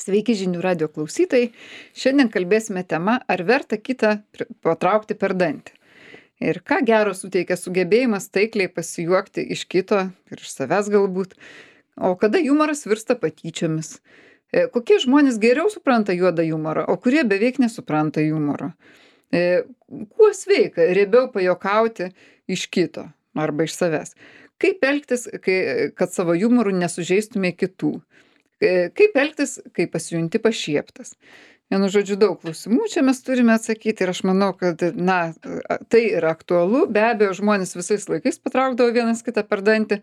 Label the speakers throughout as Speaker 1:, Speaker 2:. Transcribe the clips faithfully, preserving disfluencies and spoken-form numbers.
Speaker 1: Sveiki žinių radio klausytojai. Šiandien kalbėsime tema, ar verta kitą pri- patraukti per dantį. Ir ką gero suteikia sugebėjimas taikliai pasijuokti iš kito ir iš savęs galbūt. O kada jumoras virsta patyčiomis. E, Kokie žmonės geriau supranta juodą humorą, o kurie beveik nesupranta humoro. E, Kuo sveika riebiau pajokauti iš kito arba iš savęs. Kaip elgtis, kai, kad savo humoru nesužeistume kitų. E, Kaip elgtis, kai pasijunti pašieptas. Vienu žodžiu, daug klausimų čia mes turime atsakyti ir aš manau, kad, na, tai yra aktualu. Be abejo, žmonės visais laikais patraukdavo vienas kitą per dantį.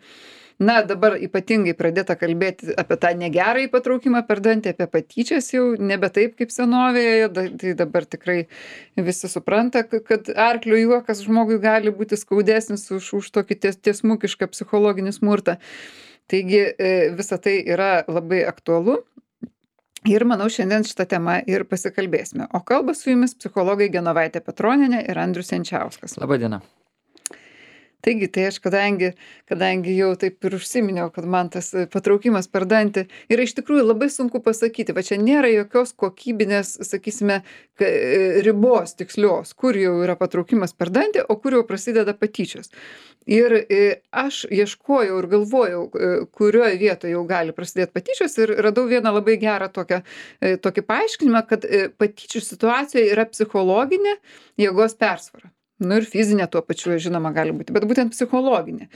Speaker 1: Na, dabar ypatingai pradėta kalbėti apie tą negerąjį patraukimą per dantį, apie patyčias jau nebe taip kaip senovėje. Da- Tai dabar tikrai visi supranta, k- kad arklio juokas žmogui gali būti skaudesnis už, už tokį ties, tiesmukišką psichologinį smurtą. Taigi e, visa tai yra labai aktualu ir manau šiandien šitą temą ir pasikalbėsime. O kalba su jumis psichologai Genovaitė Petronienė ir Andrius Jančiauskas.
Speaker 2: Labadiena.
Speaker 1: Taigi, tai aš kadangi, kadangi jau taip ir užsiminiau, kad man tas e, patraukimas per dantį yra iš tikrųjų labai sunku pasakyti, va čia nėra jokios kokybinės, sakysime, ka- e, ribos tikslios, kur jau yra patraukimas per dantį, o kur jau prasideda patyčios. Ir e, aš ieškojau ir galvojau, e, kurioje vietoje jau gali prasidėti patyčios ir radau vieną labai gerą tokią, e, tokį paaiškinimą, kad e, patyčių situacijoje yra psichologinė jėgos persvara. Nu ir fizinė tuo pačiu, žinoma, gali būti, bet būtent psichologinė.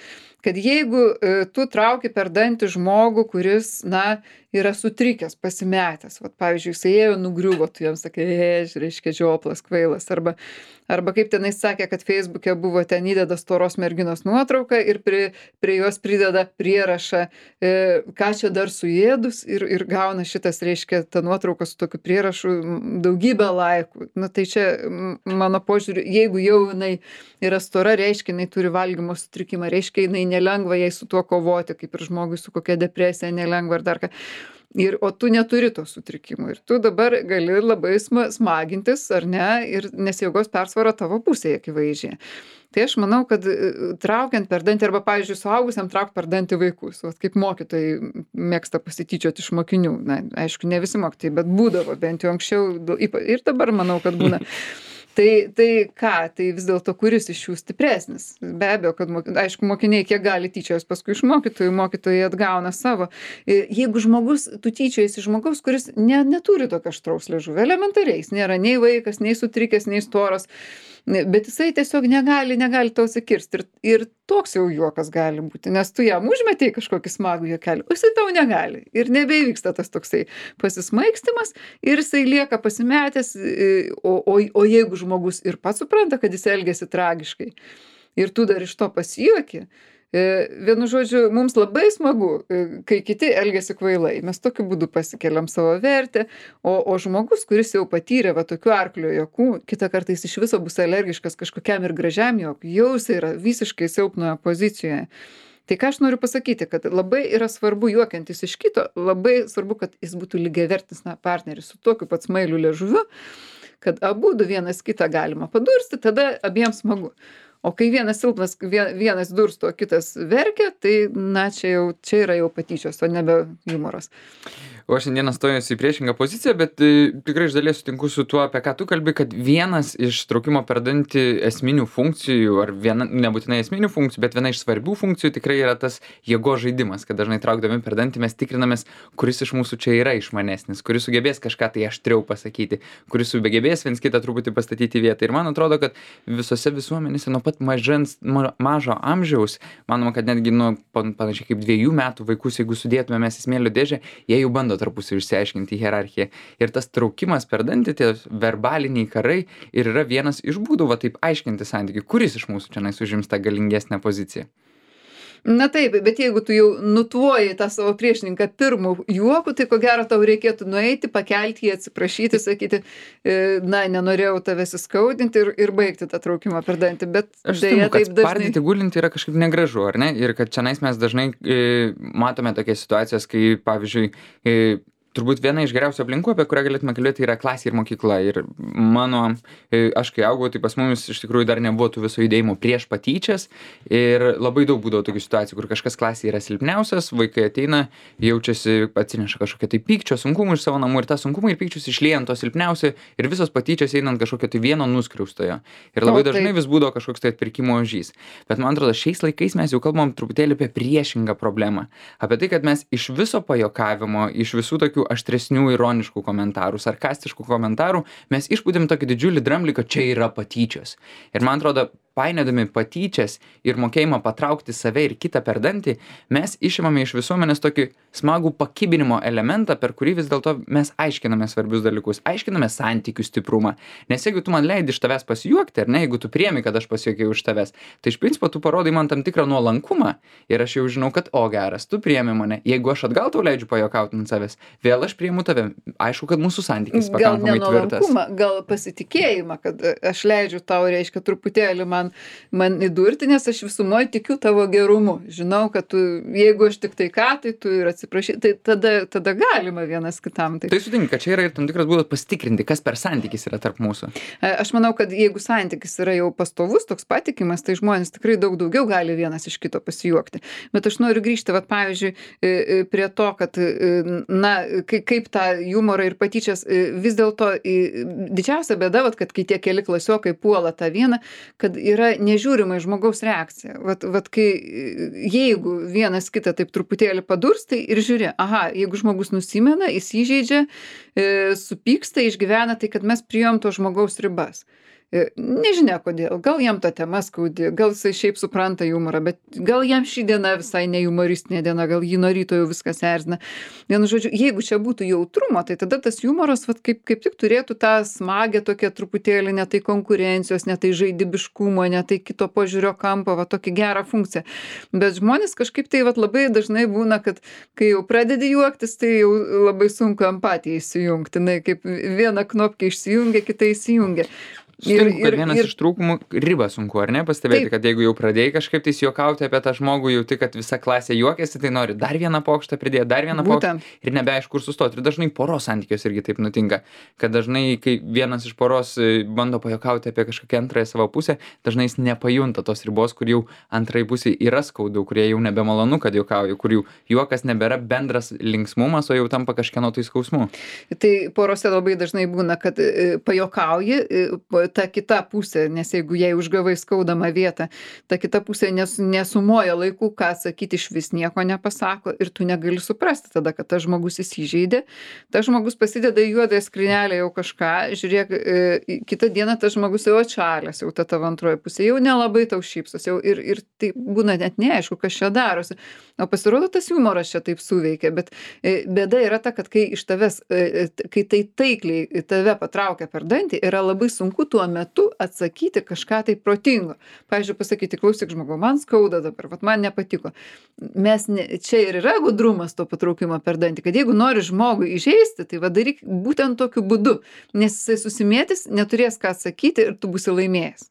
Speaker 1: Kad jeigu e, tu trauki per dantį žmogų, kuris, na, yra sutrikęs, pasimetęs, vat, pavyzdžiui, jisai ėjo nugriuvo, tu jam sakai, ež, reiškia, žioplas, kvailas, arba, arba kaip tenais sakė, kad Facebook'e buvo ten įdeda storos merginos nuotrauką ir prie, prie jos prideda prierašą, e, ką čia dar suėdus ir, ir gauna šitas, reiškia, ta nuotrauka su tokiu prierašu m, daugybę laikų. Na tai čia m, mano požiūriu, jeigu jau jinai yra stora, reiškia, jinai turi valgymo sutrikimą, reiškia, jinai nelengva jai su tuo kovoti, kaip ir žmogui su kokia depresija nelengva ar dar ką. Ir, o tu neturi to sutrikimų ir tu dabar gali labai sma, smagintis, ar ne, ir nes jėgos persvara tavo pusėje akivaizdžiai. Tai aš manau, kad e, traukiant per dantį, arba, pavyzdžiui, suaugusiam traukti per dantį vaikus, vat, kaip mokytojai mėgsta pasityčioti iš mokinių. Na, aišku, ne visi mokytojai, bet būdavo bent jau anksčiau du- ypa- ir dabar manau, kad būna. Tai, tai ką, tai vis dėlto kuris iš jų stipresnis? Be abejo, kad, mok- aišku, mokiniai kiek gali tyčios paskui iš mokytojų, mokytojai atgauna savo. E, Jeigu žmogus, tu tyčiojasi iš žmogaus, kuris ne, neturi tokio aštraus liežuvio, elementariai, jis nėra nei vaikas, nei sutrikęs, nei storas, ne- bet jisai tiesiog negali, negali tau sakirsti. Ir, ir toks jau juokas gali būti, nes tu jam užmetei kažkokį smagų juokelį, o jisai tau negali. Ir nebeivyksta tas toksai pasismaikstimas ir jisai lieka pasimetęs, e, o, o, o jeigu žmogus ir pats supranta, kad jis elgėsi tragiškai ir tu dar iš to pasijuoki, e, vienu žodžiu, mums labai smagu, e, kai kiti elgėsi kvailai. Mes tokiu būdu pasikeliam savo vertę, o, o žmogus, kuris jau patyrė va tokių arklio juokų, kitą kartą jis iš viso bus alergiškas kažkokiam ir gražiam juokui, jau jis yra visiškai silpnoje pozicijoje. Tai ką aš noriu pasakyti, kad labai yra svarbu juokiantis iš kito, labai svarbu, kad jis būtų lygiavertis na, partneris su tokiu pat smailiu liežuviu, kad abudu vienas kitą galima padursti, tada abiems smagu. O kai vienas silpnas, vie- vienas dursto, o kitas verkia, tai, na, čia, jau, čia yra jau patyčios, o nebe humoras.
Speaker 2: O aš šiandieną stojuosi į priešingą poziciją, bet e, tikrai iš dalies sutinku su tuo, apie ką tu kalbi, kad vienas iš traukimo per dantį esminių funkcijų, ar viena, nebūtinai esminių funkcijų, bet viena iš svarbių funkcijų tikrai yra tas jėgos žaidimas, kad dažnai traukdami per dantį mes tikrinamės, kuris iš mūsų čia yra išmanesnis, kuris sugebės kažką tai aštriau pasakyti, kuris sugebės viens kitą truputį pastatyti į vietą. Ir man atrodo, kad visose visuomenėse nuo pat mažens, ma- mažo amžiaus, manoma, kad netgi nuo pan- panašiai kaip dviejų metų vaikus, jeigu sudėtume mes į smėlio dėžę, jie jau bando tarpusavy išsiaiškinti hierarchiją. Ir tas traukimas per dantį, tie verbaliniai karai ir yra vienas iš būdų, va taip aiškinti santykių, kuris iš mūsų čia užims tą galingesnę poziciją.
Speaker 1: Na taip, bet jeigu tu jau nutvoji tą savo priešininką pirmų juokų, tai ko gero tau reikėtų nueiti, pakelti jį, atsiprašyti, sakyti, e, na, nenorėjau tavęs įskaudinti ir, ir baigti tą traukimą per dantį, bet
Speaker 2: Aš
Speaker 1: deja
Speaker 2: sutinku, kad
Speaker 1: taip dažnai.
Speaker 2: spardyti gulinti yra kažkaip negražu, ar ne? Ir kad čionais mes dažnai e, matome tokias situacijas, kai, pavyzdžiui, e, turbūt viena iš geriausių aplinkų, apie kurią galėtume kalbėti, yra klasė ir mokykla. Ir mano, e, aš kai augau, tai pas mumis iš tikrųjų dar nebuvo tų viso judėjimų prieš patyčias. Ir labai daug būdavo tokių situacijų, kur kažkas klasėje yra silpniausias, vaikai ateina, jaučiasi, atsineša kažkokią tai pykčio, sunkumų iš savo namų ir tą sunkumą ir pykčius išlieja ant to silpniausio ir visos patyčias eina ant kažkokio tai vieno nuskriaustojo. Ir labai
Speaker 1: O,
Speaker 2: dažnai
Speaker 1: taip.
Speaker 2: vis būdavo kažkoks tai atpirkimo ožys. Bet man atrodo, šiais laikais mes jau kalbam truputėlį apie priešingą problemą. Apie tai, kad mes iš viso pajokavimo, iš visų tokių aštresnių ironiškų komentarų, sarkastiškų komentarų, mes išpūdėm tokį didžiulį dramblį, kad čia yra patyčios. Ir man atrodo, painiodami patyčias ir mokėjimą patraukti save ir kitą per dantį, mes išimame iš visuomenės tokį smagų pakibinimo elementą, per kurį vis dėlto mes aiškiname svarbius dalykus, aiškiname santykių stiprumą. Nes jeigu tu man leidi iš tavęs pasijuokti, ar ne, jeigu tu priemi, kad aš pasijuokiau iš tavęs, tai iš principo tu parodai man tam tikrą nuolankumą ir aš jau žinau, kad o geras, tu priemi mane. Jeigu aš atgal tau leidžiu pajokauti ant savęs, vėl aš priimu tave. Aišku, kad mūsų santykis
Speaker 1: Gal
Speaker 2: pakankamai tvirtas.
Speaker 1: nenuolankumą, gal pasitikėjimą, kad e, aš leidžiu tau, reiškia, truputėlį man, man įdurti, nes aš visumoje tikiu tavo gerumu. Žinau, kad tu, jeigu aš tik tai ką, tai tu ir atsiprašy, tai tada, tada galima vienas kitam. Tai,
Speaker 2: Tai sutinku, kad čia yra ir tam tikras būdas pasitikrinti, kas per santykis yra tarp mūsų.
Speaker 1: E, aš manau, kad jeigu santykis yra jau pastovus, toks patikimas, tai žmonės tikrai daug daugiau gali vienas iš kito pasijuokti. Bet aš noriu grįžti, vat, pavyzdžiui, e, e, prie to, kad, e, na, kai, kaip tą humorą ir patyčias, e, vis dėlto e, didžiausia bėda, vat, kad kai tie keli klasiokai puola tą vieną, kad yra nežiūrima į žmogaus reakciją. Vat, vat, kai, e, jeigu vienas kitą taip truputėlį padurstai ir žiūri, aha, jeigu žmogus nusimena, jis įžeidžia, e, supyksta, išgyvena, tai kad mes priėjom to žmogaus ribas. E, Nežinia kodėl, gal jam ta tema skaudi, gal jisai šiaip supranta humorą, bet gal jam ši diena visai ne humoristinė diena, gal jį nuo ryto jau viskas erzina. Vienu žodžiu, jeigu čia būtų jautrumo, tai tada tas humoras vat, kaip, kaip tik turėtų tą smagę tokią truputėlį, ne tai konkurencijos, ne tai žaidybiškumo, ne tai kito požiūrio kampo, va tokį gerą funkciją. Bet žmonės kažkaip tai vat, labai dažnai būna, kad kai jau pradedi juoktis, tai jau labai sunku empatiją įsijungti. Na, kaip viena knopkė išsijungia, kita įsijungia.
Speaker 2: Sutinku, kad vienas iš trūkumų ribą sunku, ar ne, pastebėti,
Speaker 1: Taip.
Speaker 2: kad jeigu jau pradėjai kažkaip tai juokauti apie tą žmogų, jauti, kad visa klasė juokiasi, tai nori dar vieną pokštą pridėti, dar vieną pokštą
Speaker 1: Būtent.
Speaker 2: ir nebeaišku, kur sustoti. Ir dažnai poros santykios irgi taip nutinka, kad dažnai, kai vienas iš poros e, bando pajokauti apie kažkokią antrąją savo pusę, dažnai jis nepajunta tos ribos, kur jau antrai pusė yra skaudu, kurie jau nebemalonu, kad juokauja, kur jau juokas nebėra bendras linksmumas, o jau tampa kažkieno tai skausmu.
Speaker 1: Tai porose labai dažnai būna, kad e, pajokauji, e, po- ta kita pusė, nes jeigu jai užgavai skaudamą vietą, ta kita pusė nes, nesumoja laikų, ką sakyti, iš vis nieko nepasako ir tu negali suprasti tada, kad tas žmogus įsižeidė, tas žmogus pasideda į juodąją skrynelę jau kažką, žiūrėk, e, kitą dieną tas žmogus jau atšalęs, jau ta tavo antroji pusė, jau nelabai tau šypsos, jau ir, ir tai būna net neaišku, kas čia darosi. O pasirodo, tas humoras čia taip suveikia, bet e, bėda yra ta, kad kai iš tavęs, e, e, kai tai taikliai tave patraukia per dantį, yra labai sunku tuo metu atsakyti kažką tai protingo. Pavyzdžiui, pasakyti, klausyk žmogau, man skauda dabar, vat man nepatiko. Mes ne, čia ir yra gudrumas to patraukimo per dantį, kad jeigu nori žmogui įžeisti, tai va daryk būtent tokiu būdu, nes jisai susimėtis, neturės ką atsakyti ir tu būsi laimėjęs.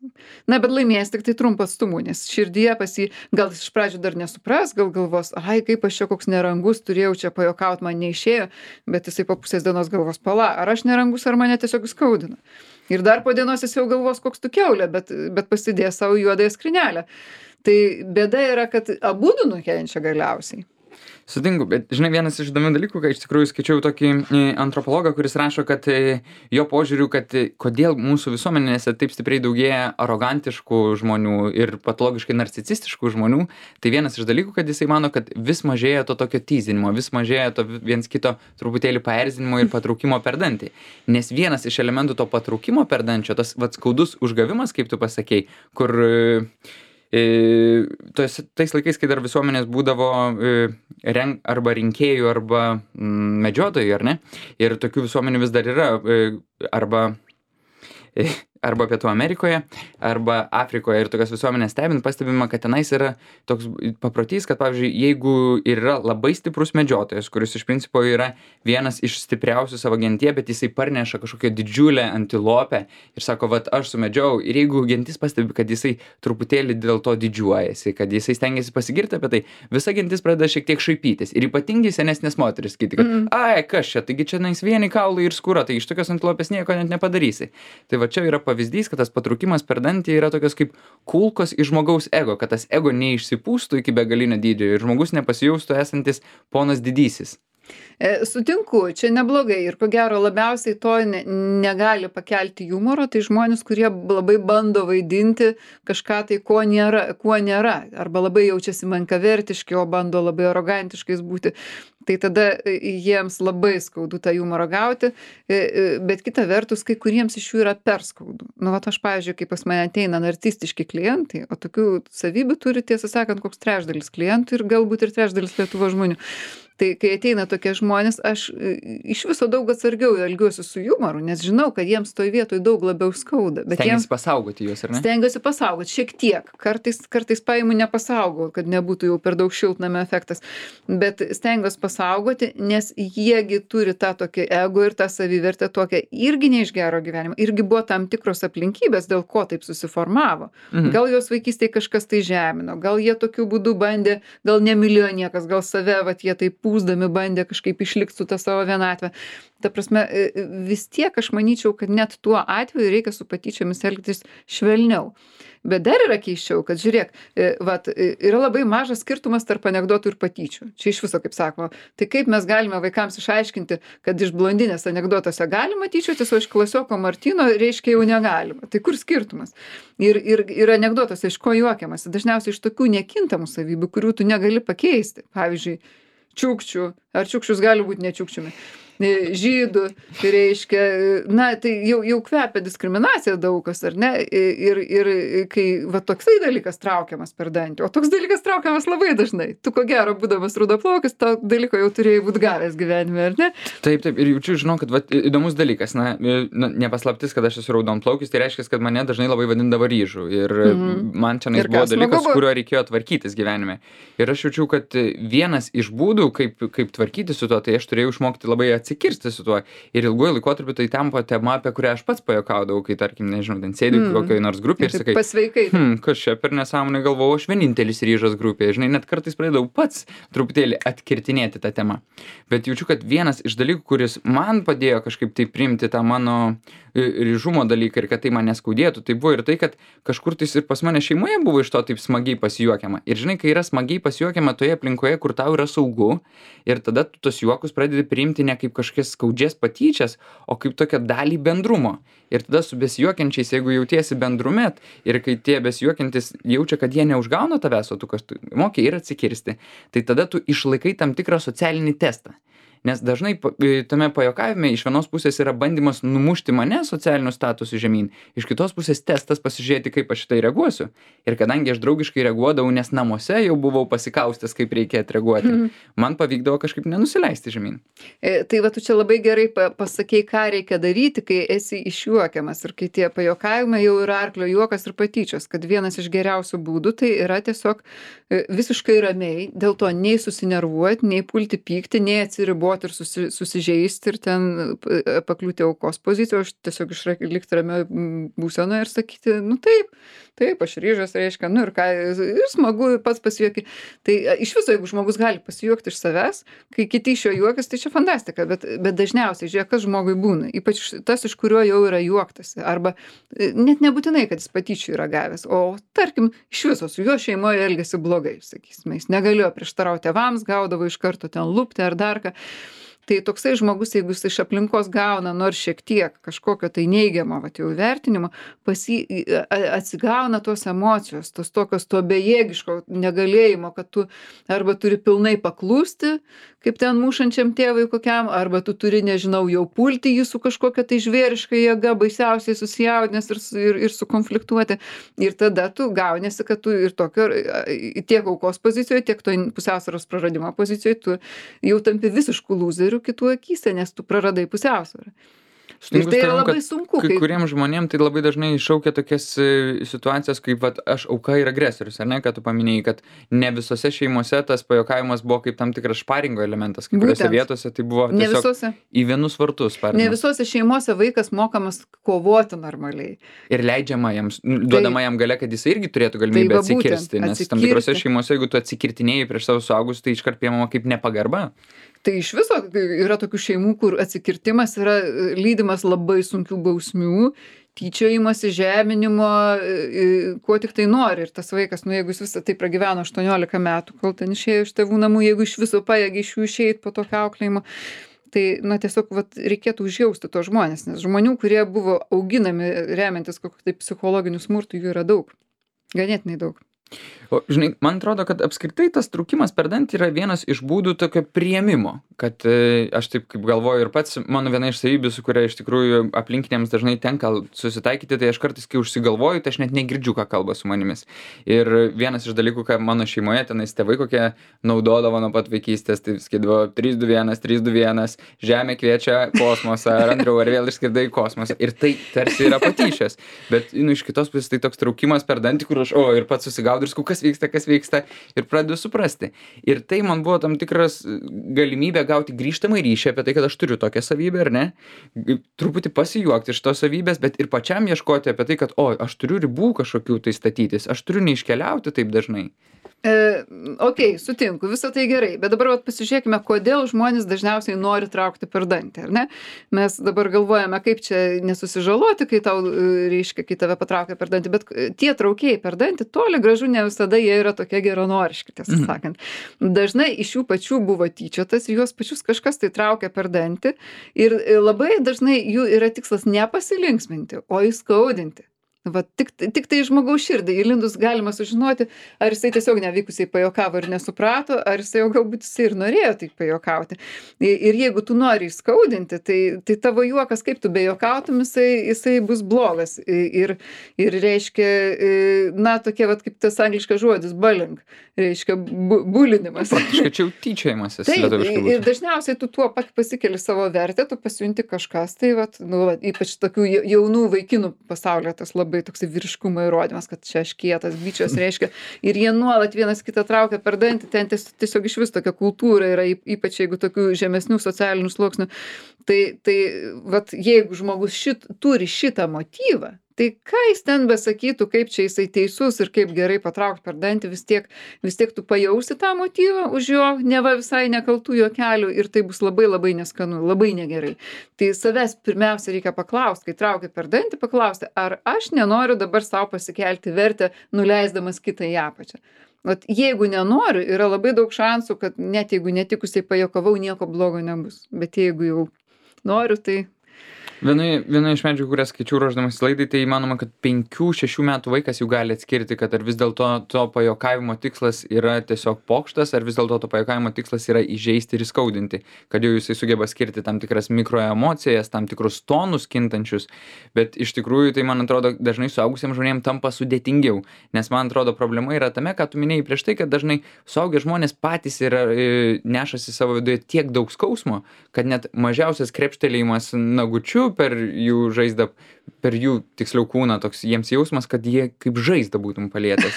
Speaker 1: Na, bet laimėjęs tik tai trumpą atstumų, nes širdyje pas jį, gal jis iš pradžių dar nesupras, gal galvos, ai, kaip aš čia koks nerangus, turėjau čia pajuokauti, man neišėjo, bet jisai po pusės dienos galvos, pala, ar aš nerangus, ar mane tiesiog skaudina. Ir dar po dienos jis jau galvos, koks tu kiaulė, bet, bet pasidės savo juodąją skrynelę. Tai bėda yra, kad abudu nukenčia galiausiai.
Speaker 2: Sutinku, bet žinai, vienas iš įdomių dalykų, kai iš tikrųjų skaičiau tokį e, antropologą, kuris rašo, kad e, jo požiūriu, kad e, kodėl mūsų visuomenėse taip stipriai daugėja arogantiškų žmonių ir patologiškai narcisistiškų žmonių, tai vienas iš dalykų, kad jisai mano, kad vis mažėja to tokio tyzinimo, vis mažėja to viens kito truputėlį paerzinimo ir patraukimo per dantį. Nes vienas iš elementų to patraukimo per dančio, tas vat skaudus užgavimas, kaip tu pasakei, kur e, E, tos, tais laikais, kai dar visuomenės būdavo e, renk, arba rinkėjų, arba mm, medžiotojų, ar ne? Ir tokių visuomenių vis dar yra, e, arba e, arba Pietų Amerikoje, arba Afrikoje ir tokias visuomenės stebint, pastebima, kad tenais yra toks paprotys, kad, pavyzdžiui, jeigu yra labai stiprus medžiotojas, kuris iš principo yra vienas iš stipriausių savo gentyje, bet jisai parneša kažkokią didžiulę antilopę ir sako, vat aš sumedžiau, ir jeigu gentis pastebi, kad jisai truputėlį dėl to didžiuojasi, kad jisai stengiasi pasigirti apie tai, visa gentis pradeda šiek tiek šaipytis. Ir ypatingai senesnės moteris sakyti, kad mm. ai, kas čia, taigi čia nais vieni kaulai ir skūra, tai iš tokios antilopės nieko net nepadarysi. Tai va čia yra pavyzdys, kad tas patraukimas per dantį yra tokios kaip kulkos iš žmogaus ego, kad tas ego neišsipūstų iki begalinio dydžio ir žmogus nepasijaustų esantis ponas didysis.
Speaker 1: E, sutinku, čia neblogai ir ko gero labiausiai to ne, negali pakelti humoro, tai žmonės, kurie labai bando vaidinti kažką tai, ko nėra, kuo nėra, arba labai jaučiasi menkavertiški, o bando labai arogantiškais būti. Tai tada jiems labai skaudu tą humorą gauti, bet kita vertus, kai kuriems iš jų yra per skaudu. Nu, vat aš, pavyzdžiui, kai pas mane ateina narcistiški klientai, o tokių savybių turi, tiesą sakant, koks trečdalis klientų ir galbūt ir trečdalis Lietuvos žmonių. Tai kai ateina tokie žmonės, aš iš viso daug atsargiau elgiuosi su humoru, nes žinau, kad jiems toj vietoj daug labiau skauda. Bet
Speaker 2: stengiasi
Speaker 1: jiems
Speaker 2: pasaugoti juos, ar ne?
Speaker 1: Stengiuosi pasaugoti, šiek tiek. Kartais, kartais paimu nepasaugau, kad nebūtų jau per daug šiltnamio efektas. Bet stengiuosi pasaugoti, nes jiegi turi tą tokį ego ir tą savivertę tokią irgi ne iš gero gyvenimo. Irgi buvo tam tikros aplinkybės, dėl ko taip susiformavo. Mhm. Gal jos vaikystėje kažkas tai žemino, gal jie tokiu būdu bandė, gal nemylėjo niekas, gal save, vat jie taip pūsdami bandė kažkaip išlikti su tą savo vienatvę. Ta prasme, vis tiek aš manyčiau, kad net tuo atveju reikia su patyčiomis elgtis švelniau. Bet dar yra keiščiau, kad žiūrėk, vat, yra labai mažas skirtumas tarp anekdotų ir patyčių. Čia iš viso, kaip sakoma, tai kaip mes galime vaikams išaiškinti, kad iš blondinės anekdotuose galima tyčiotis, o iš klasioko Martino reiškia jau negalima. Tai kur skirtumas? Ir, ir, ir anekdotuose iš ko juokiamasi? Dažniausiai iš tokių nekintamų savybių, kurių tu negali pakeisti. Pavyzdžiui, čiukčių, ar čiukčius gali būti nečiukčiumi, žydų, tai reiškia, na, tai jau, jau kvepia diskriminacija daugas, ar ne, ir, ir kai va toksai dalykas traukiamas per dantį, o toks dalykas traukiamas labai dažnai, tu ko gero, būdamas rudaplaukis, to dalyko jau turėjai būti gavęs gyvenime, ar ne?
Speaker 2: Taip, taip, ir jaučiu, žinau, kad va, įdomus dalykas, na, na nepaslaptis, kad aš esu raudonplaukis, tai reiškia, kad mane dažnai labai vadindavo ryžu ir mm-hmm. man čia buvo dalykas, kuriuo reikėjo tvarkytis gyvenime. Ir aš jaučiu, kad vienas iš būdų, kaip, kaip tvarkyti su tuo, tai aš turėjau išmokti labai atsikirsti su tuo. Ir ilguoju laikotarpiu tai tampa tema, apie kurią aš pats pajuokaudavau, kai, tarkim, nežinau, ten sėdėjau mm. kokioj nors grupėje ir sakai,
Speaker 1: pasveikai.
Speaker 2: Hm, kas čia per nesąmonę galvojau, aš vienintelis ryžas grupėje. Žinai, net kartais pradėjau pats truputėlį atkirtinėti tą temą. Bet jaučiu, kad vienas iš dalykų, kuris man padėjo kažkaip tai priimti tą mano ryžumo dalyką ir kad tai man neskaudėtų, tai buvo ir tai, kad kažkur tais ir pas mane šeimoje buvo iš to taip smagiai pasijuokiama. Ir žinai, kai yra smagiai pasijuokiama toje aplinkoje, kur tau yra saugu, ir tada tu tos juokus pradedi priimti ne kaip kažkokias skaudžias patyčias, o kaip tokią dalį bendrumo. Ir tada su besijuokiančiais, jeigu jautiesi bendrume ir kai tie besijuokiantis jaučia, kad jie neužgauna tavęs, o tu kažkaip moki ir atsikirsti, tai tada tu išlaikai tam tikrą socialinį testą. Nes dažnai tame pajuokavime iš vienos pusės yra bandymas numušti mane socialiniu statusu žemyn, iš kitos pusės testas pasižiūrėti, kaip aš šitai reaguosiu. Ir kadangi aš draugiškai reaguodavau, nes namuose jau buvau pasikaustęs, kaip reikia atreaguoti, mm. man pavykdavo kažkaip nenusileisti žemyn.
Speaker 1: E, tai va, tu čia labai gerai pasakei, ką reikia daryti, kai esi išjuokiamas ir kai tie pajuokavimai jau yra arklio juokas ir patyčios, kad vienas iš geriausių būdų tai yra tiesiog visiškai ramiai, dėl to nei susinervuoti, nei pulti pykti, nei atsiriboti ir susi, susižeisti ir ten pakliūti aukos poziciją, aš tiesiog išlikti ramioj būsenoje ir sakyti, nu taip, taip, aš ryžas, reiškia, nu ir ką, ir smagu pats pasijuokti. Tai iš viso, jeigu žmogus gali pasijuokti iš savęs, kai kiti iš jo juokas, tai čia fantastika, bet, bet dažniausiai, žiūrėk, kas žmogui būna, ypač tas, iš kurio jau yra juoktasi, arba net nebūtinai, kad jis patyčių yra gavęs, o tarkim, iš viso su jo šeimoje elgėsi blogai, sakysime, jis negalėjo prieštarauti tėvams, gaudavo iš karto ten lupti ar dar ką. Tai toksai žmogus, jeigu jis iš aplinkos gauna nors šiek tiek kažkokio tai neigiamo, vat jau vertinimo, pasi, atsigauna tos emocijos, tos tokios to bejėgiško negalėjimo, kad tu arba turi pilnai paklusti, kaip ten mušančiam tėvui kokiam, arba tu turi, nežinau, jau pulti jį su kažkokia tai žvėriška jėga, baisiausiai susijaudinęs ir, ir, ir sukonfliktuoti. Ir tada tu gaunėsi, kad tu ir tokio, tiek aukos pozicijoje, tiek to pusiausvyros praradimo pozicijoje, tu jau tampi visiškų lūzerių kitų akyse, nes tu praradai pusiausvyrą. Ir
Speaker 2: Sutinku
Speaker 1: tai
Speaker 2: su
Speaker 1: yra
Speaker 2: tavim,
Speaker 1: labai
Speaker 2: kad
Speaker 1: sunku,
Speaker 2: kai
Speaker 1: kai
Speaker 2: kuriem žmonėm tai labai dažnai iššaukia tokias e, situacijas, kaip vat, aš auka ir agresorius, ar ne, kad tu paminėjai, kad ne visose šeimose tas pajokavimas buvo kaip tam tikras šparingo elementas, kai kuriuose
Speaker 1: būtent
Speaker 2: vietose tai buvo
Speaker 1: ne
Speaker 2: tiesiog
Speaker 1: visose,
Speaker 2: į vienus vartus
Speaker 1: ne
Speaker 2: spardimas.
Speaker 1: visose šeimose vaikas mokamas kovoti normaliai.
Speaker 2: Ir leidžiama jam, nu,
Speaker 1: Tai,
Speaker 2: duodama jam galia, kad jis irgi turėtų
Speaker 1: tai
Speaker 2: galimybę
Speaker 1: va būtent,
Speaker 2: atsikirsti, nes tam tikrose
Speaker 1: atsikirsti.
Speaker 2: šeimose, jeigu tu atsikirtinėjai prieš savo suaugus, tai iškart priemama kaip nepagarba.
Speaker 1: Tai iš viso yra tokių šeimų, kur atsikirtimas yra e, lydimas labai sunkių bausmių, tyčiojimasi, žeminimo, e, e, kuo tik tai nori. Ir tas vaikas, nu jeigu jis visą tai pragyveno aštuoniolika metų, kol ten išėjo iš tėvų namų, jeigu iš viso pajėgia iš jų išeit po tokio auklėjimo, tai, na, tiesiog vat, reikėtų užjausti tos žmonės, nes žmonių, kurie buvo auginami remiantis kokiu tai psichologiniu smurtu, jų yra daug. Ganėtinai daug.
Speaker 2: O, žinai, man atrodo, kad apskritai tas traukimas per dantį yra vienas iš būdų tokio priėmimo, kad e, aš taip kaip galvoju ir pats, mano viena iš savybių, su kuria iš tikrųjų aplinkiniams dažnai tenka susitaikyti, tai aš kartais, kai užsigalvoju, tai aš net negirdžiu, ką kalba su manimis. Ir vienas iš dalykų, ką mano šeimoje tenais tėvai kokie naudodavo nuo pat vaikystės, tai sakydavo trys du vienas, trys du vienas, žemė kviečia kosmosą, ar Andriau, ar vėl išskridai į kosmosą. Ir tai tarsi yra patyčios. Bet, nu, iš kitos pusės tai toks traukimas per dantį, kur aš, o, ir pats susigaudau ir sakau, kas vyksta, kas vyksta, ir pradedu suprasti. Ir tai man buvo tam tikras galimybė gauti grįžtamą ryšį apie tai, kad aš turiu tokią savybę, ar ne? Truputį pasijuokti iš tos savybės, bet ir pačiam ieškoti apie tai, kad, o, aš turiu ribų kažkokių tai statytis, aš turiu neiškeliauti taip dažnai.
Speaker 1: E, ok, sutinku, visą tai gerai, bet dabar vat, pasižiūrėkime, kodėl žmonės dažniausiai nori traukti per dantį, ar ne? Mes dabar galvojame, kaip čia nesusižaloti, kai tau, e, reiškia, kai tave patraukia per dantį, bet tie traukėjai per dantį toli gražu ne visada jie yra tokie geranoriški, tiesą
Speaker 2: Mhm.
Speaker 1: sakant. Dažnai iš jų pačių buvo tyčiotas, juos pačius kažkas tai traukia per dantį ir e, labai dažnai jų yra tikslas ne pasilinksminti, o įskaudinti. Va, tik, tik tai žmogaus širdį įlindus galima sužinoti, ar jisai tiesiog nevykusiai pajokavo ir nesuprato, ar jisai jau galbūt jisai ir norėjo taip pajokauti. I- Ir jeigu tu nori įskaudinti, tai, tai tavo juokas, kaip tu bejokautum, jisai, jisai bus blogas. I- Ir, ir reiškia, i, na, tokie, vat, kaip tas angliškas žodis, bullying, reiškia bu, bulinimas.
Speaker 2: Praktiškai čia jau tyčiojimasis
Speaker 1: Taip,
Speaker 2: lietuviškai
Speaker 1: ir
Speaker 2: būtų.
Speaker 1: dažniausiai tu tuo pat pasikeli savo vertę, tu pasijunti kažkas, tai vat, nu, vat, ypač tokių ja- jaunų vaikinų pasaulyje tas labai toksai vyriškumo įrodymas, kad čia aš kietas, bičias reiškia, ir jie nuolat vienas kitą traukia per dantį, ten ties, tiesiog iš vis tokia kultūra yra, yp- ypač jeigu tokių žemesnių socialinių sluoksnių. Tai, tai vat, jeigu žmogus šit, turi šitą motyvą, tai ką jis ten besakytų, kaip čia jisai teisus ir kaip gerai patraukti per dantį, vis tiek, vis tiek tu pajausi tą motyvą už jo neva visai nekaltų juokelių ir tai bus labai labai neskanu, labai negerai. Tai savęs pirmiausia reikia paklausti, kai traukia per dantį, paklausti, ar aš nenoriu dabar savo pasikelti vertę, nuleisdamas kitą į apačią. Vat jeigu nenoriu, yra labai daug šansų, kad net jeigu netikusiai pajokavau, nieko blogo nebus. Bet jeigu jau noriu, tai
Speaker 2: Vienoje, vienoje iš medžiagų, kurias skaičiau ruošdamas laidai, tai įmanoma, kad penkių šešių metų vaikas jau gali atskirti, kad ar vis dėlto to pajokavimo tikslas yra tiesiog pokštas, ar vis dėlto to pajokavimo tikslas yra įžeisti ir įskaudinti, kad jau jisai sugeba skirti tam tikras mikroemocijas, tam tikrus tonus kintančius, bet iš tikrųjų tai, man atrodo, dažnai suaugusiems žmonėms tampa sudėtingiau, nes man atrodo problema yra tame, ką tu minėjai prieš tai, kad dažnai suaugę žmonės patys yra, e, nešasi savo viduje tiek daug skausmo, kad net mažiausias krepštelėjimas nagučiu per jų žaizdą, per jų tiksliau kūną, toks jiems jausmas, kad jie kaip žaizdą būtum palietęs.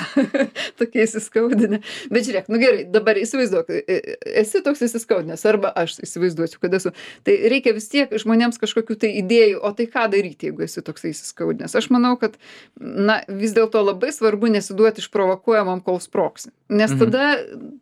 Speaker 1: tokie įsiskaudinę. Bet žiūrėk, nu gerai, dabar įsivaizduok, e- e- esi toks įsiskaudinęs, arba aš įsivaizduosiu, kad esu. Tai reikia vis tiek žmonėms kažkokių tai idėjų, o tai ką daryti, jeigu esi toks įsiskaudinęs. Aš manau, kad, na, vis dėlto labai svarbu nesiduoti išprovokuojamam, kol sprogsi. Nes
Speaker 2: Mhm.
Speaker 1: tada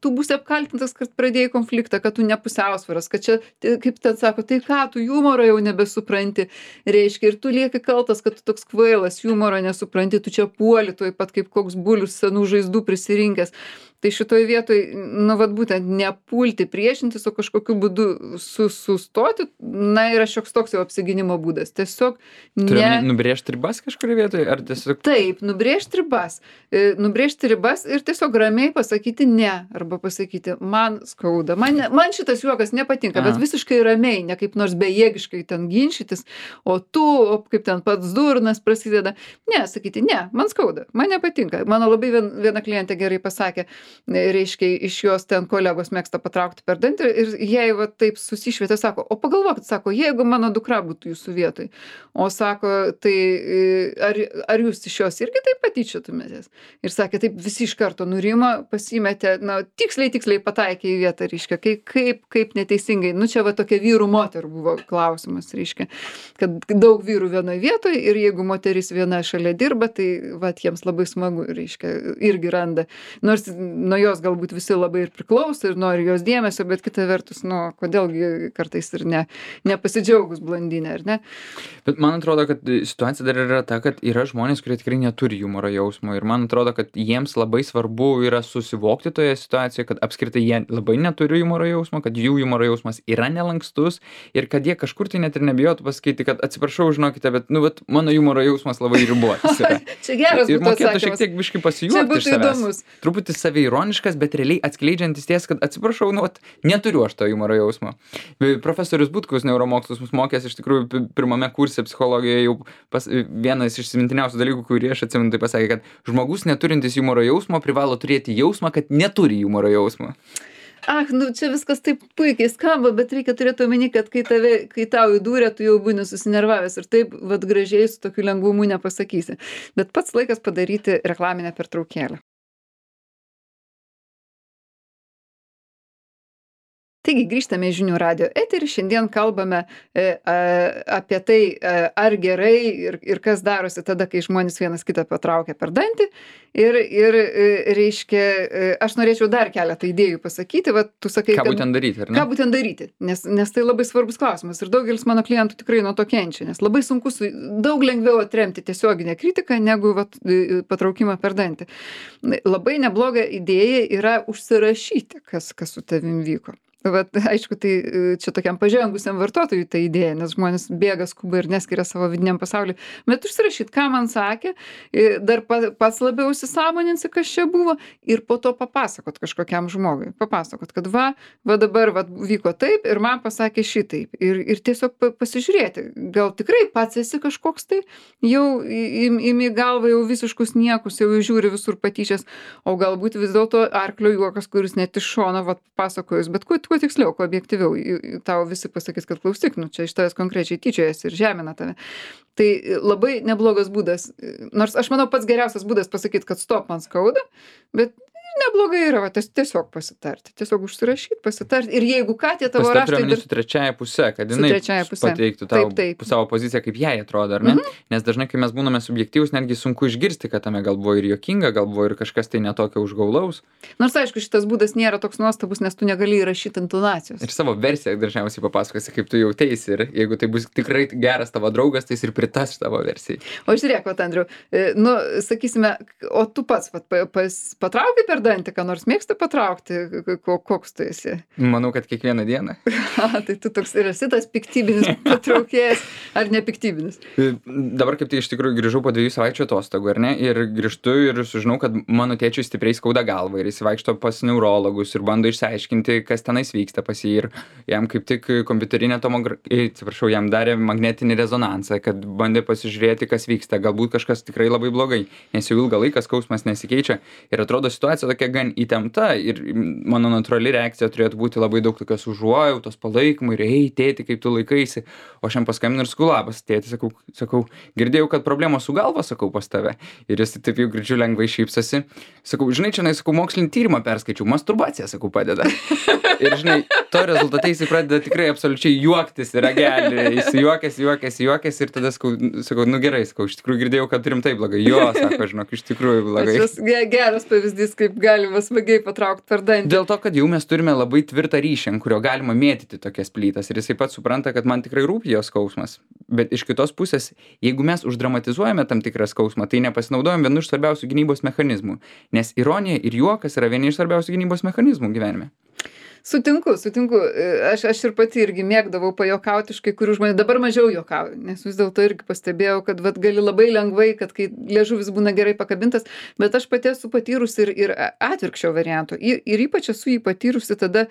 Speaker 1: tu būsi apkaltintas, kad pradėjai konfliktą, kad tu nepusiausvaras, kad čia, tai, kaip ten sako, tai ką, tu humoro jau nebesupranti, reiškia, ir tu lieki kaltas, kad tu toks kvailas, humoro nesupranti, tu čia puoli, tuoj pat kaip koks bulius senų žaizdų prisirinkęs. Tai šitoj vietoj, nu, vat būtent nepulti priešintis, o kažkokiu būdu su, sustoti, na, yra šioks toks jau apsigynimo būdas. Tiesiog
Speaker 2: Turiu
Speaker 1: ne.
Speaker 2: omeny nubrėžti ribas kažkurioje vietoje, ar tiesiog...
Speaker 1: Taip, nubrėžti ribas. E, Nubrėžti ribas ir tiesiog ramiai pasakyti ne. Arba pasakyti, man skauda, man, ne, man šitas juokas nepatinka,
Speaker 2: Aha.
Speaker 1: bet visiškai ramiai, ne kaip nors bejėgiškai ten ginčytis, o tu, o kaip ten pats durnas prasideda. Ne, sakyti, ne, man skauda, man nepatinka. Mano labai vien, viena klientė gerai pasakė, reiškia, iš jos ten kolegos mėgsta patraukti per dantį ir jai va taip susišvietė, sako, o pagalvokit, sako, jeigu mano dukra būtų jūsų vietoj, o sako, tai ar, ar jūs iš jos irgi taip patyčiotumėtės? Ir sakė, taip visi iš karto nurimo, pasimetė, na, tiksliai, tiksliai pataikė į vietą, reiškia, kaip, kaip, kaip neteisingai. Nu, čia va tokia vyrų moterų buvo klausimas, reiškia, kad daug vyrų vienoje vietoje ir jeigu moteris viena šalia dirba, tai va, jiems labai smagu, reiškia, irgi randa. Nors nuo jos galbūt visi labai ir priklauso ir nori jos dėmesio, bet kita vertus, nu, kodėlgi kartais ir ne, nepasidžiaugus blondinė, ar ne?
Speaker 2: Bet man atrodo, kad situacija dar yra ta, kad yra žmonės, kurie tikrai neturi humoro jausmo ir man atrodo, kad jiems labai svarbu yra susivokti toje situacijoje, kad apskritai jie labai neturi humoro jausmo, kad jų humoro jausmas yra nelankstus ir kad jie kažkur tai net ir nebijotų pasakyti, kad atsiprašau, žinokite, bet, nu, vat, mano humoro jausmas labai ribotas yra.
Speaker 1: Čia geras
Speaker 2: ir
Speaker 1: būtų
Speaker 2: mokėtų
Speaker 1: atsakymas.
Speaker 2: šiek tiek biškai pasijuokti iš savęs. Įdomus. Truputį saviironiškas, bet realiai atskleidžiantis ties, kad atsiprašau, nu, vat, neturiu aš to humoro jausmo. Profesorius Butkus neuromokslus mus mokės iš tikrųjų pirmame kurse psichologijoje jau pas, vienas iš įsimintiniausių dalykų, kurį aš atsimenu, tai pasakė, kad žmogus neturintis humoro jausmo privalo turėti jausmą, kad neturi humoro jausmo.
Speaker 1: Ach, nu čia viskas taip puikiai skamba, bet reikia turėti omeny, kad kai, tave, kai tau įdūrė, tu jau būni susinervavęs ir taip vat gražiai su tokiu lengvumu nepasakysi. Bet pats laikas padaryti reklaminę pertraukėlę. Taigi grįžtame į Žinių radijo eterį, šiandien kalbame e, a, apie tai, a, ar gerai ir, ir kas darosi tada, kai žmonės vienas kitą patraukia per dantį. Ir, ir e, reiškia, e, aš norėčiau dar keletą idėjų pasakyti. Va, tu sakai,
Speaker 2: ką
Speaker 1: kad,
Speaker 2: būtent daryti, ar ne?
Speaker 1: Ką būtent daryti, nes, nes tai labai svarbus klausimas. Ir daugelis mano klientų tikrai nuo to kenčia, nes labai sunku, su, daug lengviau atremti tiesioginę kritiką, negu va, patraukimą per dantį. Labai nebloga idėja yra užsirašyti, kas, kas su tavim vyko. Vat, aišku, tai čia tokiam pažengusiam vartotojui ta idėja, nes žmonės bėga, skuba ir neskiria savo vidiniam pasauliui. Bet užsirašyt, ką man sakė, dar pats labiau įsisąmoninsi, kas čia buvo, ir po to papasakot kažkokiam žmogui. Papasakot, kad va, va dabar va, vyko taip ir man pasakė šitaip. Ir, ir tiesiog pasižiūrėti, gal tikrai pats esi kažkoks tai, jau imi galvą jau visiškus niekus, jau žiūri visur patyčias, o galbūt vis dėlto arklio juokas, kuris net iš šono va, pasakojus, bet kuo kuo tiksliau, kuo objektyviau, tau visi pasakys, kad klausyk, nu čia iš tavęs konkrečiai tyčiojasi ir žemina tave. Tai labai neblogas būdas, nors aš manau pats geriausias būdas pasakyti, kad stop, man skauda, bet neblogai yra, va, tiesiog pasitarti, tiesiog užsirašyti, pasitarti. Ir jeigu ką, tie tavo raštai...
Speaker 2: Pasitarti su trečiaja pusė, kad jinai pateiktų tau taip, taip. savo poziciją, kaip jai atrodo, ar ne? Mm-hmm. Nes dažnai, kai mes būname subjektyvūs, netgi sunku išgirsti, kad tame gal buvo ir juokinga, gal buvo ir kažkas tai netokio užgaulaus.
Speaker 1: Nors, aišku, šitas būdas nėra toks nuostabus, nes tu negali įrašyti intonacijos.
Speaker 2: Ir savo versiją dažniausiai papasakosi, kaip tu jauteisi. Ir jeigu tai bus tikrai geras tavo draugas, tai jis ir pritas tavo versijai.
Speaker 1: O žiūrėk, vat, Andriau, nu, sakysime, o tu pats vat, pas, patraukai per dantį, ką nors mėgsta patraukti, koks tu esi?
Speaker 2: Manau, kad kiekvieną dieną.
Speaker 1: A, tai tu toks ir esi tas piktybinis patraukėjas, ar nepiktybinis?
Speaker 2: Dabar kaip tai iš tikrųjų grįžau po dviejų savaičių atostogų, ar ne? Ir grįžtu ir sužinau, kad mano tėčiui stipriai skauda galvą ir jis vaikšto pas neurologus ir bando išsiaiškinti, kas tenais vyksta pas jį. Ir jam kaip tik kompiuterinė tomografija, atsiprašau, jam darė magnetinį rezonansą, kad bandė pasižiūrėti, kas vyksta. Galbūt kažkas tikrai labai blogai, nes jau ilgą laiką skausmas nesikeičia ir atrodo situacija tokia gan įtempta ir mano natūrali reakcija turėtų būti labai daug tokios užuojautos, palaikymo ir ei, tėti, kaip tu laikaisi. O aš jam paskambinu ir sakau, labas, tėti, sakau, sakau, girdėjau, kad problemos su galva, sakau, pas tave. Ir jis taip jau girdžiu lengvai šypsosi. Sakau, žinai, čia, sakau, mokslinį tyrimą perskaičiau, masturbacija, sakau, padeda. Ir žinai, to rezultate jis pradeda tikrai absoliučiai juoktis ir ragelį, jis juokės, juokės, juokės ir tada sakau, sakau, nu gerai, sakau, iš tikrųjų girdėjau, kad rimtai blogai. Jo, sako, žinok, iš tikrųjų blogai.
Speaker 1: Tas geras pavyzdys, kaip galima smagiai patraukti per dantį.
Speaker 2: Dėl to, kad jau mes turime labai tvirtą ryšį, ant kurio galima mėtyti tokias plytas ir jisai pats supranta, kad man tikrai rūpi jo skausmas. Bet iš kitos pusės, jeigu mes uždramatizuojame tam tikrą skausmą, tai nepasinaudojam vienu iš svarbiausių gynybos mechanizmų, nes ironija ir juokas yra vieni iš svarbiausių gynybos mechanizmų gyvenime.
Speaker 1: Sutinku, sutinku. Aš, aš ir pati irgi mėgdavau pajuokauti iš kai kurių žmonių. Dabar mažiau juokauju, nes vis dėlto irgi pastebėjau, kad vat, gali labai lengvai, kad kai liežuvis būna gerai pakabintas, bet aš pati esu patyrusi ir, ir atvirkščio varianto. Ir, ir ypač esu jį patyrusi tada,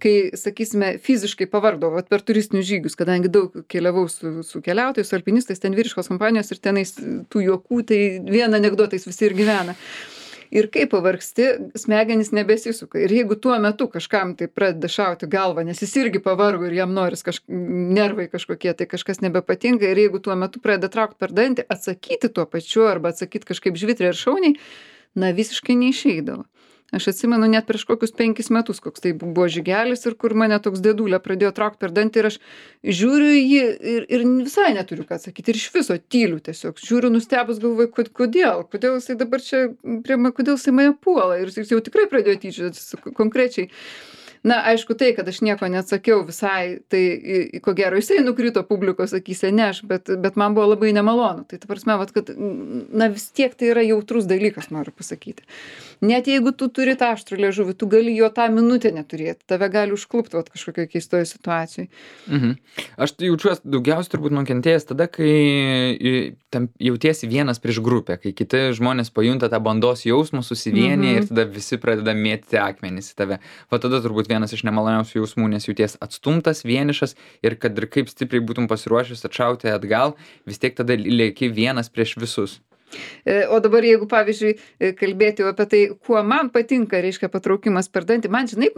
Speaker 1: kai, sakysime, fiziškai pavardau, vat, per turistinius žygius, kadangi daug keliavau su, su keliautojais, su alpinistais, ten vyriškos kompanijos ir tenais tų juokų, tai vien anekdotais visi ir gyvena. Ir kai pavargsti, smegenys nebesisuka. Ir jeigu tuo metu kažkam tai pradeda šauti galvą, nes jis irgi pavargo ir jam noris kaž... nervai kažkokie, tai kažkas nebepatinka, ir jeigu tuo metu pradeda traukti per dantį, atsakyti tuo pačiu arba atsakyti kažkaip žvitriai ir šauniai, na visiškai neišeidavo. Aš atsimenu net prieš kokius penkis metus, koks tai buvo žygelis ir kur mane toks dėdulė pradėjo traukti per dantį ir aš žiūriu į jį ir, ir visai neturiu ką atsakyti ir iš viso tyliu tiesiog. Žiūriu nustebus, galvoju, kod, kodėl, kodėl jisai dabar čia, prie, kodėl jisai mane puola ir jis jau tikrai pradėjo tyčiotis konkrečiai. Na, aišku, tai, kad aš nieko neatsakiau visai, tai ko gero jisai nukrito publikos akyse, ne aš, bet, bet man buvo labai nemalonu. Tai ta prasme, vat, kad, na vis tiek tai yra jautrus dalykas, noriu pasakyti. Net jeigu tu turi tą aštrų liežuvį, tu gali jo tą minutę neturėti, tave gali užklupti vat, kažkokioje keistoje situacijoje.
Speaker 2: Mhm. Aš tai jaučiuosi daugiausiai turbūt nukentėjęs tada, kai tam jautiesi vienas prieš grupę, kai kiti žmonės pajunta tą bandos jausmą, susivienyje mhm. ir tada visi pradeda mėtyti akmenys į tave. Va tada turbūt vienas iš nemaloniausių jausmų, nes jauties atstumtas, vienišas ir kad ir kaip stipriai būtum pasiruošęs atšauti atgal, vis tiek tada lieki vienas prieš visus.
Speaker 1: O dabar jeigu, pavyzdžiui, kalbėti apie tai, kuo man patinka, reiškia, patraukimas per dantį, man žinai,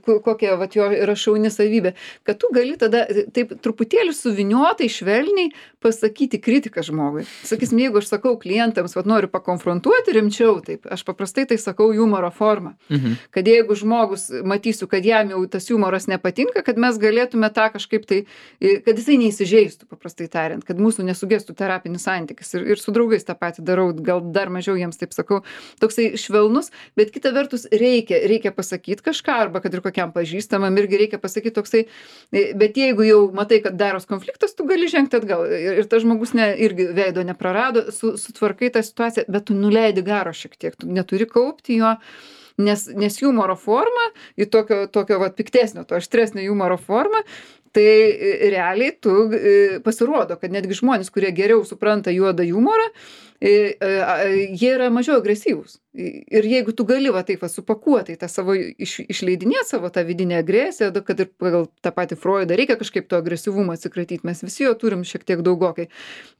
Speaker 1: kokia vat, jo yra šauni savybė, kad tu gali tada taip truputėlį suviniotai, švelniai pasakyti kritiką žmogui. Sakysim, jeigu aš sakau klientams, vat noriu pakonfrontuoti rimčiau, taip, aš paprastai tai sakau humoro formą. Mhm. Kad jeigu žmogus matysiu, kad jam jau tas humoras nepatinka, kad mes galėtume tą kažkaip tai, kad jisai neįsižeistų, paprastai tariant, kad mūsų nesugestų terapinis santykis ir, ir su draugais tą patį darau, gal dar mažiau jiems taip sakau, toksai švelnus, bet kita vertus reikia, reikia pasakyti kažką, arba kad ir kokiam pažįstamam irgi reikia pasakyti toksai, bet jeigu jau matai, kad daros konfliktas, tu gali žengti atgal ir, ir tas žmogus ne, irgi veido neprarado, su, sutvarkai tą situaciją, bet tu nuleidi garo šiek tiek, tu neturi kaupti jo, nes, nes humoro forma, į tokio, tokio vat, piktesnio, to aštresnio humoro formą, tai realiai tu pasirodo, kad netgi žmonės, kurie geriau supranta juodą humorą, jie yra mažiau agresyvūs. Ir jeigu tu gali va taip va supakuoti tą savo, iš, išleidinėti savo tą vidinę agresiją, kad ir pagal tą patį Freudą reikia kažkaip to agresyvumo atsikratyti, mes visi jo turim šiek tiek daugokai.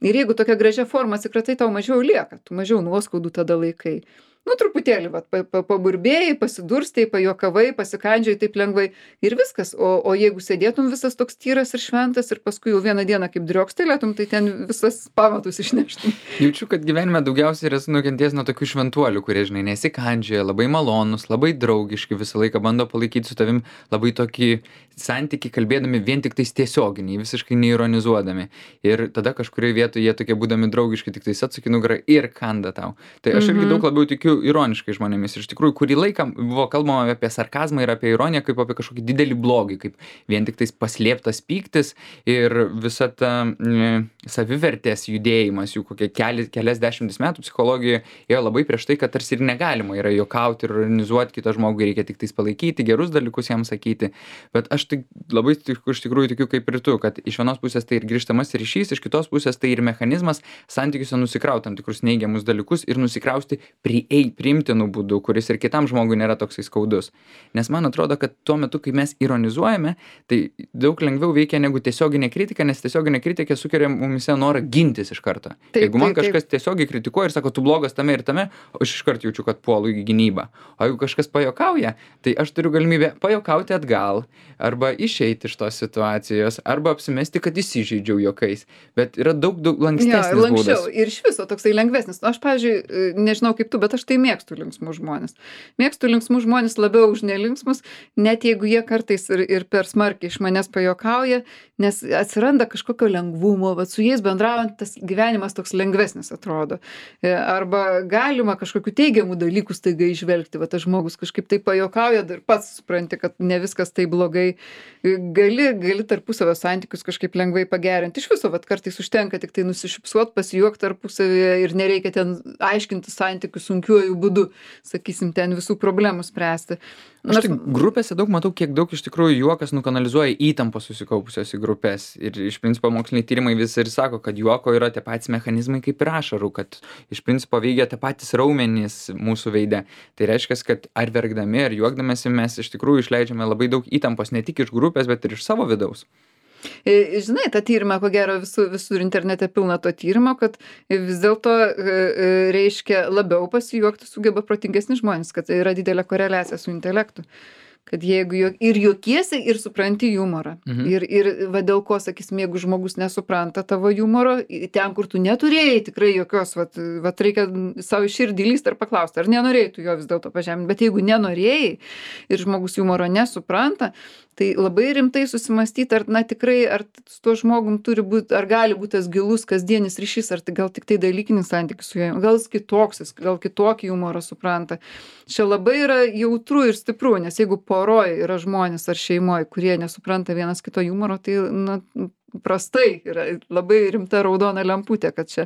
Speaker 1: Ir jeigu tokia gražia forma atsikratai, tau mažiau lieka, tu mažiau nuoskaudų tada laikai. Nu, truputėlį, vat, pa, pa, paburbėjai, pasidurstei, pajokavai, pasikandžiai taip lengvai ir viskas. O, o jeigu sėdėtum visas toks tyras ir šventas ir paskui jau vieną dieną kaip driokstelėtum, tai ten visas pamatus išneštum.
Speaker 2: Jaučiu, kad gyvenime daugiausiai yra nukentėjęs nuo tokių šventuolių, kurie, žinai, nesikandžioja, labai malonus, labai draugiški, visą laiką bando palaikyti su tavim labai tokį santykį, kalbėdami vien tik tais tiesioginiai, visiškai neironizuodami. Ir tada kažkurioje vietoje jie tokie būdami draugiški, tik tais atsuki nugarą ir kanda tau. Tai aš irgi daug labiau tikiu ironiškai žmonėmis. Iš tikrųjų, kurį laiką buvo kalbama apie sarkazmą ir apie ironiją kaip apie kažkokį didelį blogį, kaip vien tik tais paslėptas pyktis ir visa ta mm, savivertės judėjimas, jų kokie keli, kelias dešimtis metų psichologijoje ėjo labai prieš tai, kad tarsi ir negalima yra juokauti ir ironizuoti kitą žmogų, reikia tik tais palaikyti, gerus dalykus jam sakyti. Bet aš tik labai iš tikrųjų tikiu kaip ir tu, kad iš vienos pusės tai ir grįžtamas ryšys, iš kitos pusės tai ir mechanizmas santykiuose nusikrauti tam tikrus neigiamus dalykus ir nusikrausti priei priimtinų būdų, kuris ir kitam žmogui nėra toksai skaudus. Nes man atrodo, kad tuo metu, kai mes ironizuojame, tai daug lengviau veikia negu tiesioginė kritika, nes tiesioginė kritika sukelia mumise norą gintis iš karto. Taip, jeigu man taip, kažkas taip. tiesiogiai kritikuoja ir sako, tu blogas tame ir tame, aš iš karto jaučiu, kad puolu į gynybą. O jeigu kažkas pajokauja, tai aš turiu galimybę pajokauti atgal, arba išeiti iš tos situacijos, arba apsimesti, kad įsižeidžiau juokais. Bet yra daug, daug lankstesnis
Speaker 1: ja,
Speaker 2: būdas.
Speaker 1: Ir iš viso toksai lengvesnis. Aš, pavyzdžiui, nežinau kaip tu, bet aš tai mėgstu linksmus žmonės. Mėgstu linksmus žmonės labiau už nelinksmus, net jeigu jie kartais ir, ir per smarkiai iš manęs pajokauja, nes atsiranda kažkokio lengvumo, bet su jais bendraujant tas gyvenimas toks lengvesnis atrodo. Arba galima kažkokių teigiamų dalykų staiga išvelgti, va tas žmogus kažkaip tai pajokauja ir pats supranti, kad ne viskas tai blogai. Gali, gali tarpusavio santykius kažkaip lengvai pagerinti. Iš viso, va kartais užtenka tik tai nusišypsuot, pasijuokt tarpusavėje ir nereikia ten aiškinti santykių sunkiuoju būdu, sakysim, ten visų problemų spręsti.
Speaker 2: Aš tai grupėse daug matau, kiek daug iš tikrųjų juokas nukanalizuoja įtampos susikaupusios į grupės. Ir iš principo moksliniai tyrimai vis ir sako, kad juoko yra tie patys mechanizmai kaip ir ašarų, kad iš principo veikia tie patys raumenys mūsų veide. Tai reiškia, kad ar verkdami, ar juokdamėsi mes iš tikrųjų išleidžiame labai daug įtampos ne tik iš grupės, bet ir iš savo vidaus.
Speaker 1: E, Žinai, tą tyrimą, ko gero, visur, visur internete pilna to tyrimo, kad vis dėlto e, e, reiškia labiau pasijuokti sugeba protingesni žmonės, kad tai yra didelė koreliacija su intelektu. Kad jeigu jo, ir juokiesi, ir supranti humorą.
Speaker 2: Mhm.
Speaker 1: Ir, ir va dėl ko, sakysim, jeigu žmogus nesupranta tavo humoro, i- ten, kur tu neturėjai tikrai jokios, vat, vat reikia savo širdį lyst ar paklausti, ar nenorėjai tu jo vis dėlto pažeminti. Bet jeigu nenorėjai ir žmogus humoro nesupranta, tai labai rimtai susimastyti, ar na tikrai, ar su tuo žmogum turi būti, ar gali būti tas gilus kasdienis ryšys, ar tai gal tik tai dalykinis santykis su juo, gal jis kitoks, jis gal kitokį humorą supranta. Čia labai yra jautru ir stipru, nes jeigu poroj yra žmonės ar šeimoj, kurie nesupranta vienas kito humoro, tai na, prastai yra labai rimta raudona lemputė, kad čia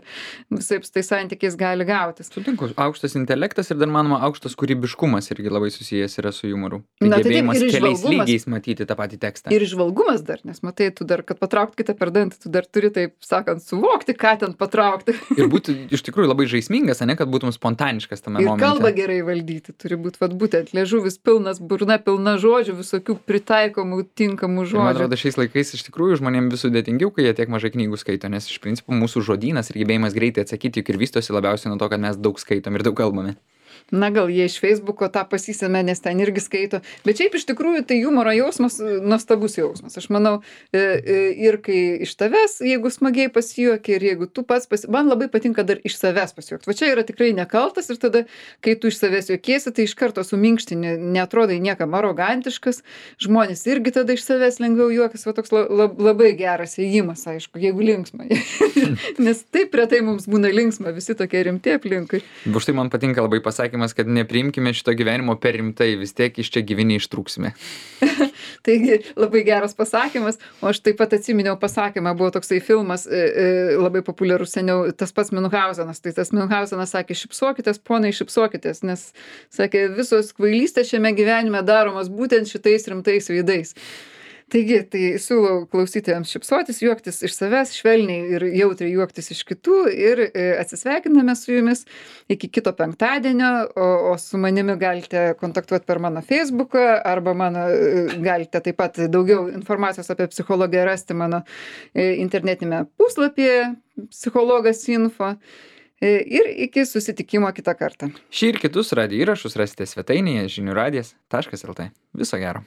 Speaker 1: visai su tais santykiais gali gautis.
Speaker 2: Sutinku, aukštas intelektas ir dar manoma aukštas kūrybiškumas irgi labai susijęs yra su humoru. Tai
Speaker 1: Na, tai taip,
Speaker 2: gebėjimas
Speaker 1: ir
Speaker 2: keliais
Speaker 1: įžvalgumas.
Speaker 2: lygiais matyti tą patį tekstą.
Speaker 1: Ir žvalgumas dar, nes matai, tu dar, kad patraukt kitą per dantį, tu dar turi, taip sakant, suvokti, ką ten patraukti.
Speaker 2: Ir būti iš tikrųjų labai žaismingas, ane, kad būtum spontaniškas tame
Speaker 1: Ir
Speaker 2: momente.
Speaker 1: kalbą gerai valdyti turi būti, vad būtent, liežuvis pilnas, burna pilna žodžių, visokių pritaikomų, tinkamų
Speaker 2: Ir man
Speaker 1: žodžių.
Speaker 2: atrodo, šiais laikais iš tikrųjų žmonėms vis sudėtingiau, kai jie tiek mažai knygų skaito, nes iš principo mūsų žodynas ir gebėjimas greitai atsakyti juk ir vystosi labiausiai nuo to, kad mes daug skaitom ir daug kalbame.
Speaker 1: Na gal jie iš Facebooko tą pasisėmė, nes ten irgi skaito. Bet šiaip iš tikrųjų tai humoro jausmas, e, nuostabus jausmas. Aš manau, e, e, ir kai iš tavęs, jeigu smagiai pasijuoki, ir jeigu tu pats pasi... Man labai patinka dar iš savęs pasijuokti. Va čia yra tikrai nekaltas ir tada, kai tu iš savęs juokiesi, tai iš karto suminkštini, netrodai niekam arogantiškas. Žmonės irgi tada iš savęs lengviau juokas. Va toks la, la, labai geras ėjimas, aišku, jeigu linksma. Nes taip retai mums būna linksma, visi tokie rimti aplinkui.
Speaker 2: Už tai man patinka labai pasakymas, kad nepriimkime šito gyvenimo per rimtai, vis tiek iš čia gyvi neištrūksime.
Speaker 1: Taigi labai geras pasakymas, o aš taip pat atsiminiau pasakymą, buvo toksai filmas e, e, labai populiarus seniau, tas pats Miunchausenas, tai tas Miunchausenas sakė, šipsokitės, ponai, šipsokitės, nes sakė, visos kvailystės šiame gyvenime daromos būtent šitais rimtais veidais. Taigi, tai siūlau klausytojams šipsotis, juoktis iš savęs, švelniai ir jautriai juoktis iš kitų ir e, atsisveikiname su jumis iki kito penktadienio, o, o su manimi galite kontaktuoti per mano Facebooką arba mano, e, galite taip pat daugiau informacijos apie psichologiją rasti mano e, internetinėme puslapyje psichologas info. E, Ir iki susitikimo kitą kartą.
Speaker 2: Šį ir kitus radijo įrašus rasite svetainėje žinių radijas taškas lt. Viso gero.